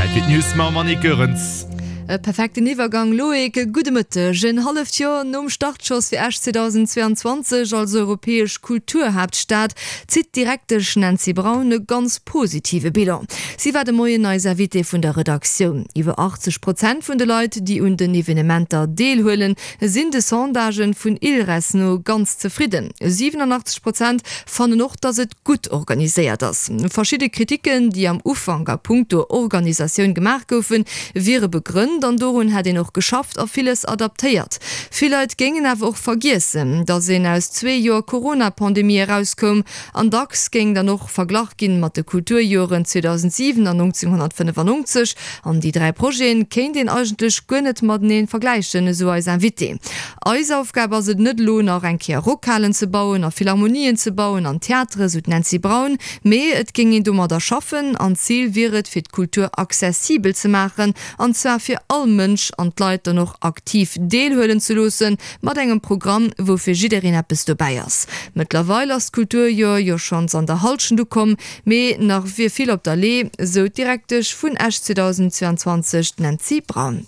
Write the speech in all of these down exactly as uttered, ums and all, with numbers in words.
Zäit fir d'News mam Annick Goerens. E perfekten Iwwergang Loïc, gudde Mëtteg. En halleft Joer nom Startschoss fir Esch zweedausendzweeanzwanzeg als europäesch Kulturhaaptstad zitt d'Direktesch Nancy Braun e ganz positive Bilan. Si war de Moien eis Invitée vun der Redaktioun. Iwwer achtzeg Prozent vun de Leit, déi un den Evenementer deelhuelen, sinn de Sondagen vun ILRES no ganz zefridden. siwenanachtzeg Prozent fannen och, datt et gutt organiséiert ass. Verschidde Kriticken, déi am Ufank a puncto Organisatioun gemaach goufen, wiere begrënnt an dorun hätt een och geschafft a villes adaptéiert. Vill Leit géingen awer och vergiessen, datt een aus zwee Joer Corona-Pandemie erauskoum an dacks géing dann och verglach ginn mat de Kulturjoren zweedausentsiwen an nonzénghonnertfënnefannonzeg. An déi dräi Projeten kéint een eigentlech guer net matenee vergläichen, esou eis Invitée. Eis Aufgab ass et net elo nach eng Kéier Rockhalen ze bauen a Philharmonien ze bauen an Theatere, sou d'Nancy Braun, mee et géing een domadder schaffen an d'Zil wier et fir d'Kultur accessibel ze maachen an zwar fir all Mënsch an d'Leit dann och aktiv deelhuelen ze loossen mat engem Programm wou fir jiddereen eppes dobäi ass. Mëttlerweil ass d'Kulturjoer jo schonns an der Hallschent ukomm, mee nach wier vill op der Lee, sou d'Direktesch vun Esch zweedausendzweianzwanzeg, d'Nancy Braun.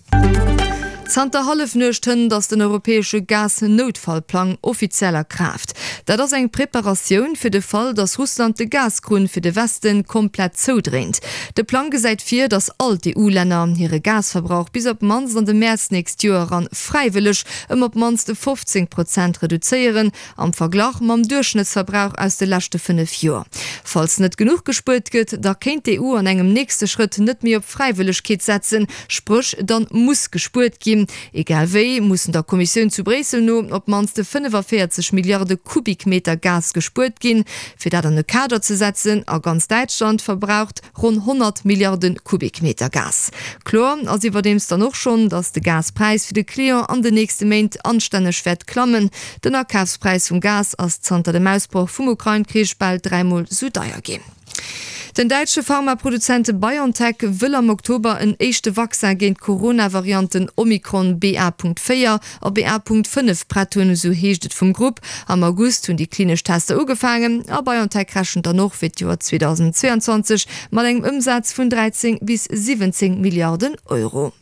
Zanter Hallefnuecht hënt ass den europäesche Gas-Noutfallplang offiziell a Kraaft. Dat ass eng Preparatioun fir de Fall, datt Russland de Gaskrunn fir de Westen komplett zoudréint. De Plang gesäit vir, datt all d'EU-Länner hire Gasverbrauch bis op d'mannst an de Mäerz nächst Joer eran fräiwëlleg ëm op d'mannst fofzéng Prozent reduzéieren, am Verglach mam Duerchschnëttsverbrauch aus de leschte fënnef Joer. Falls net genuch gespuert gëtt, da kéint d'EU an engem nächste Schrëtt net méi op Fräiwëllegkeet setzen, spréch dann muss gespuert ginn. Egal wéi mussen der Kommissioun zu Bréissel no op d'mannst fënnefaféierzeg Milliarde Kubikmeter Gas gespuert ginn, fir dat an e Kader ze setzen. A ganz Däitschland verbraucht ronn honnert Milliarde Kubikmeter Gas. Kloer ass iwwerdeems dann och schonn, datt de Gaspräis fir de Client an den nächste Méint anstänneg wäert klammen. Den Akafspräis vum Gas ass zanter dem Ausbroch vum Ukrain-Krich bal dräimol sou deier ginn. Den däitsche Pharmaproduzent BioNTech wëll am Oktober en éischte Vaccin géint d'Corona-Varianten Omikron B A Punkt véier a B A Punkt fënnef prett hunn, esou heescht et vum Grupp. Am August hunn déi klinesch Tester ugefaangen a BioNTech rechent dann och fir d'Joer zweedausendzweeanzwanzeg mat engem Ëmsaz vun dräizéng bis siwwenzéng Milliarden Euro.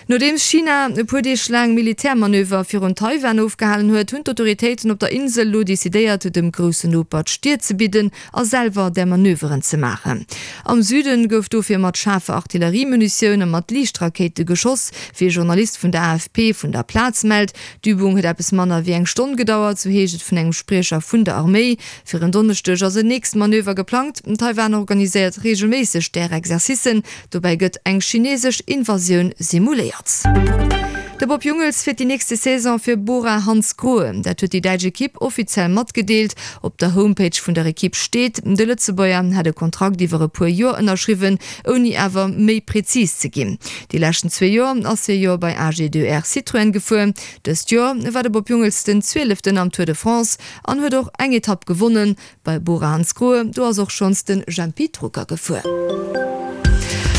Nodeems China e puer Deeg laang Militärmanöver virun Taiwan ofgehalen huet, hunn d'Autoritéiten op der Insel elo decidéiert, dem groussen Noper d'Stier ze bidden a selwer där Manöveren ze maachen. Am Süde gouf dofir mat schaarfer Artilleriemunitioun a mat Liichtrakéite geschoss, wéi e Journalist vun der A F P vun der Plaz mellt. D'Übung huet eppes manner wéi eng Stonn gedauert, sou heescht et vun engem Spriecher vun der Arméi. Fir en Donneschdeg ass en nächst Manöver geplangt. Taiwan organiséiert reegelméisseg där Exercicen. Dobäi gëtt eng chinesesch Invasioun simuléiert. De Bob Jungels fiert déi nächste Saison fir Bora Hansgrohe. Dat huet déi däitsch Ekipp offiziell matgedeelt. Op der Homepage vun der Ekipp steet, de Lëtzebuerger hätt e Kontrakt iwwer e puer Joer ënnerschriwwen, ouni awer méi prezis ze ginn. Déi leschten zwee Joer ass hie jo bei A G deux R Citroën gefuer. Dëst Joer war de Bob Jungels den Zwieleften am Tour de France an huet och eng Etapp gewonnen. Bei Bora Hansgrohe, do ass och schonns de Jempy Drucker gefuer.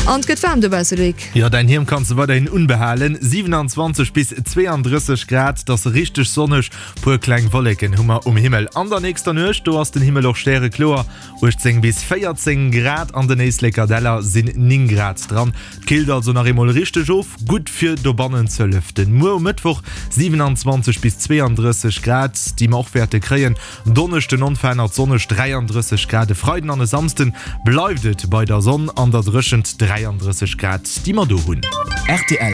An et gëtt waarm dobausse, Loïc. Jo, däin Hiem kanns de weiderhin unbehalen, siewenanzwanzeg bis zweeandrësseg Grad, et ass richteg sonneg, puer kleng Wolleken hu mer um Himmel. An der nächster Nuecht, do ass den Himmel och stärekloer, uechtzéng bis véierzéng Grad, an den Éisleker Däller sinn néng Grad dran. Et killt also nach eemol richteg of, gutt fir dobannen ze lüften. Muer um Mëttwoch siewenanzwanzeg bis zweeandrësseg Grad, déi mer och wäerte kréien. Donneschden onverännert sonneg dräiandrësseg Grad, e Freiden an e Samsden bleift et bei der Sonn an der Dréchent, dräiandrësseg Grad, déi mer do hunn. Rtl.